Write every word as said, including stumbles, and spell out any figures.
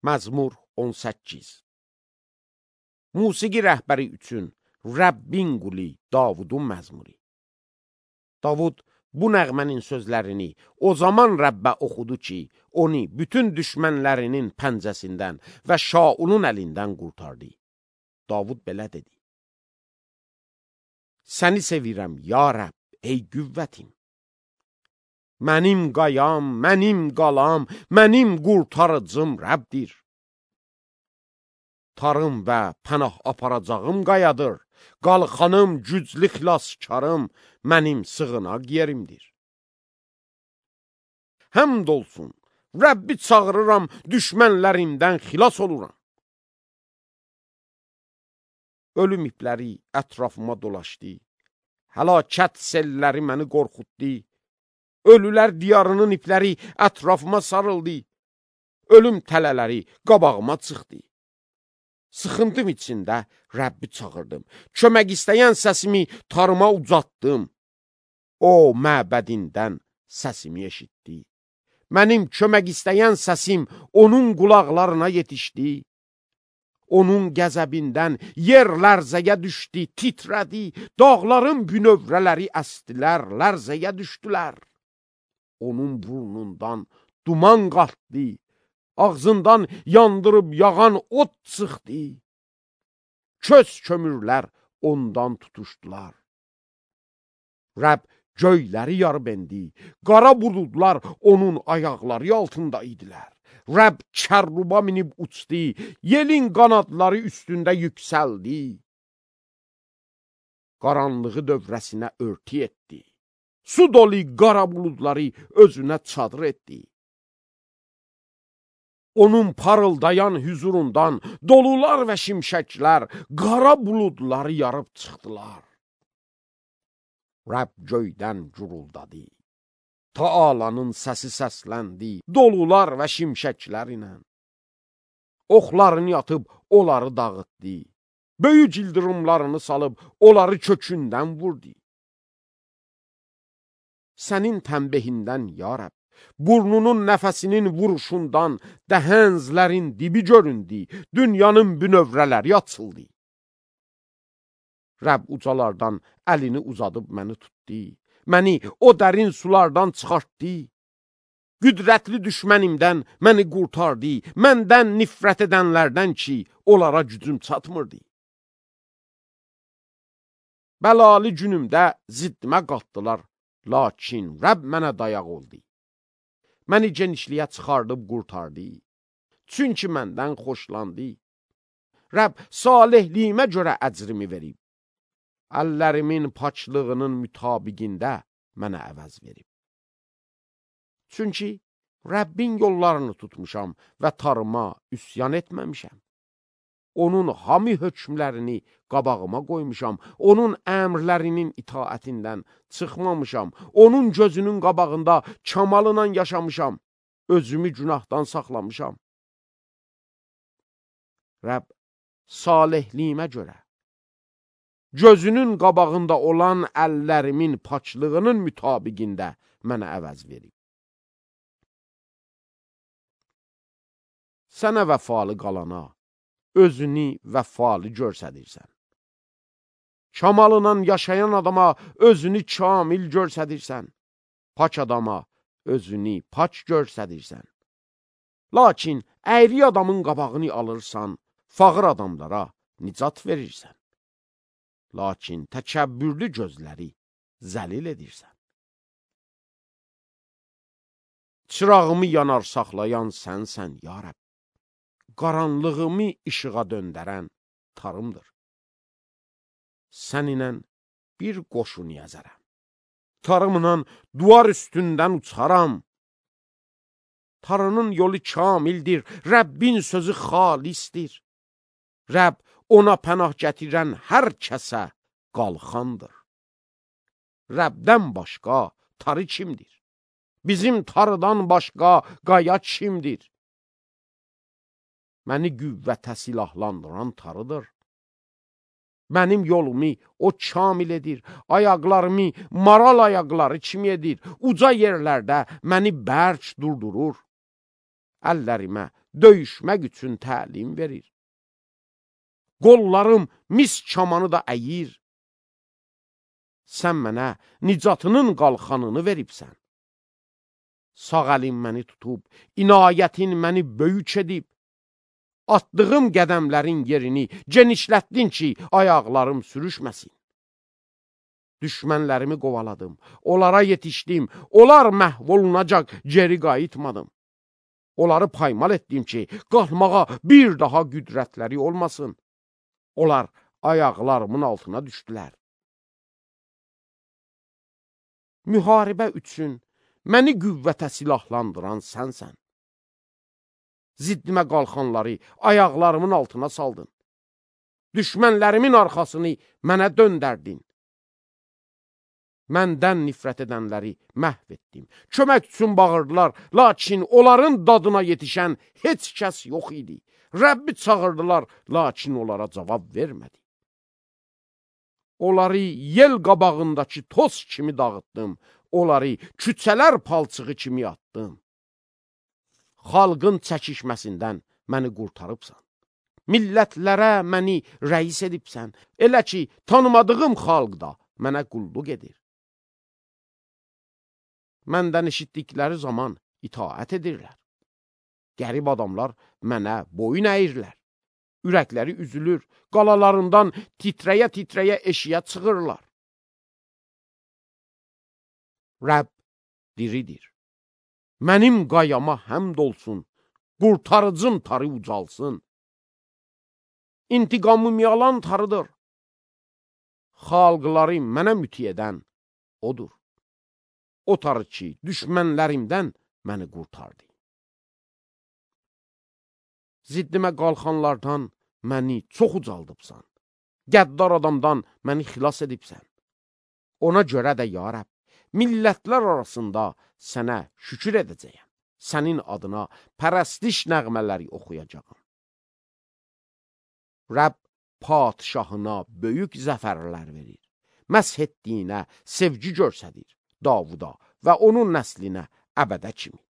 Məzmur on səkkiz. Musiqi rəhbəri üçün Rəbbin quli Davudun məzmuri. Davud bu nəğmənin sözlərini o zaman Rəbbə oxudu ki, onu bütün düşmənlərinin pəncəsindən və Şaulun əlindən qurtardı. Davud belə dedi: Səni sevirəm, ya Rəbb, ey qüvvətim. Mənim qayam, mənim qalam, mənim qurtarıcım Rəbdir. Tarım və pənah aparacağım qayadır. Qalxanım, güclü xilaskarım, mənim sığınaq yerimdir. Həmd olsun, Rəbbi çağırıram, düşmənlərimdən xilas oluram. Ölüm ipləri ətrafıma dolaşdı. Həlakət selləri məni qorxutdu. Ölülər diyarının ipləri ətrafıma sarıldı. Ölüm tələləri qabağıma çıxdı. Sıxıntım içində Rəbbi çağırdım. Kömək istəyən səsimi tarıma ucatdım. O, məbədindən səsimi eşitdi. Mənim kömək istəyən səsim onun qulaqlarına yetişdi. Onun qəzəbindən yer lərzəyə düşdü, titrədi. Dağların bünövrələri əstilər, lərzəyə düşdülər. Onun burnundan duman qalxdı. Ağzından yandırıb yağan ot çıxdı. Köz kömürlər ondan tutuşdular. Rəbb göyləri yarıb endi. Qara buludlar onun ayaqları altında idilər. Rəbb kərruba minib uçdu. Yelin qanadları üstündə yüksəldi. Qaranlığı dövrəsinə örtü etdi. Su dolu qara buludları özünə çadır etdi. Onun parıldayan hüzurundan dolular və şimşəklər, qara buludları yarıb çıxdılar. Rəbb göydən guruldadı. Taalanın səsi səsləndi, dolular və şimşəklər ilə. Oxlarını yatıb onları dağıtdı. Böyük ildırımlarını salıb onları kökündən vurdu. Sənin tənbehindən, ya Rəbb, burnunun nəfəsinin vuruşundan dəhənzlərin dibi göründü, dünyanın bünövrələri açıldı. Rəbb ucalardan əlini uzadıb məni tutdu, məni o dərin sulardan çıxartdı. Qüdrətli düşmənimdən məni qurtardı, məndən nifrət edənlərdən ki, onlara gücüm çatmırdı. Bəlalı günümdə ziddimə qatdılar, lakin Rəbb mənə dayaq oldu. Məni genişliyə çıxardıb qurtardı. Çünki məndən xoşlandı. Rəbb salihliyimə görə əcrimi verib. Əllərimin paçlığının mütabiqində mənə əvəz verib. Çünki Rəbbin yollarını tutmuşam və tarıma üsyan etməmişəm. Onun hami hökmlərini qabağıma qoymuşam. Onun əmrlərinin itaətindən çıxmamışam. Onun gözünün qabağında kamalına yaşamışam. Özümü günahdan saxlamışam. Rəbb salihliyimə görə gözünün qabağında olan əllərimin paçlığının mütabiqində mənə əvəz verib. Sənə vəfalı qalana özünü vəfalı görsədirsən. Kamalından yaşayan adama özünü kamil görsədirsən. Paç adama özünü paç görsədirsən. Lakin əyri adamın qabağını alırsan, fağır adamlara nicat verirsən. Lakin təkəbbürlü gözləri zəlil edirsən. Çırağımı yanar saxlayan sənsən, ya Rəbb. Qaranlığımı işığa döndərən tarımdır. Səninlə bir qoşun yazarəm. Tarımla duvar üstündən uçaram. Tarının yolu kamildir, Rəbbin sözü xalisdir. Rəbb ona pənah gətirən hər kəsə qalxandır. Rəbdən başqa tarı kimdir? Bizim tarıdan başqa qaya kimdir? Məni qüvvətə silahlandıran tarıdır. Mənim yolumu o kamil edir, ayaqlarımı maral ayaqları kimi edir, uca yerlərdə məni bərk durdurur. Əllərimə döyüşmək üçün təlim verir. Qollarım mis kamanı da əyir. Sən mənə nicatının qalxanını veribsən. Sağ əlin məni tutub, inayətin məni böyük edib. Atdığım qədəmlərin yerini genişlətdin ki, ayaqlarım sürüşməsin. Düşmənlərimi qovaladım, onlara yetişdim, onlar məhv olunacaq, geri qayıtmadım. Onları paymal etdim ki, qalxmağa bir daha qüdrətləri olmasın. Onlar ayaqlarımın altına düşdülər. Müharibə üçün məni qüvvətə silahlandıran sənsən. Ziddimə qalxanları ayaqlarımın altına saldın. Düşmənlərimin arxasını mənə döndərdin. Məndən nifrət edənləri məhv etdim. Kömək üçün bağırdılar, lakin onların dadına yetişən heç kəs yox idi. Rəbbi çağırdılar, lakin onlara cavab vermədi. Onları yel qabağındakı toz kimi dağıtdım. Onları küçələr palçığı kimi atdım. Xalqın çəkişməsindən məni qurtarıbsan. Millətlərə məni rəis edibsən. Elə ki, tanımadığım xalq da mənə qulluq edir. Məndən eşitdikləri zaman itaət edirlər. Qərib adamlar mənə boyun əyirlər. Ürəkləri üzülür, qalalarından titrəyə-titrəyə eşiyə çıxırlar. Rəbb diridir. Mənim qayama həmd olsun, qurtarıcım tarı ucalsın. İntiqamım yalan tarıdır. Xalqları mənə müti edən odur. O tarı ki, düşmənlərimdən məni qurtardı. Ziddimə qalxanlardan məni çox ucaldıbsan. Qəddar adamdan məni xilas edibsən. Ona görə də, ya Rəbb, millətlər arasında sənə şükür edəcəyəm. Sənin adına pərəstiş nəğmələri oxuyacağım. Rəbb padişahına böyük zəfərlər verir. Məsh etdiyinə sevgi göstərir Davuda və onun nəslinə əbədə kimi.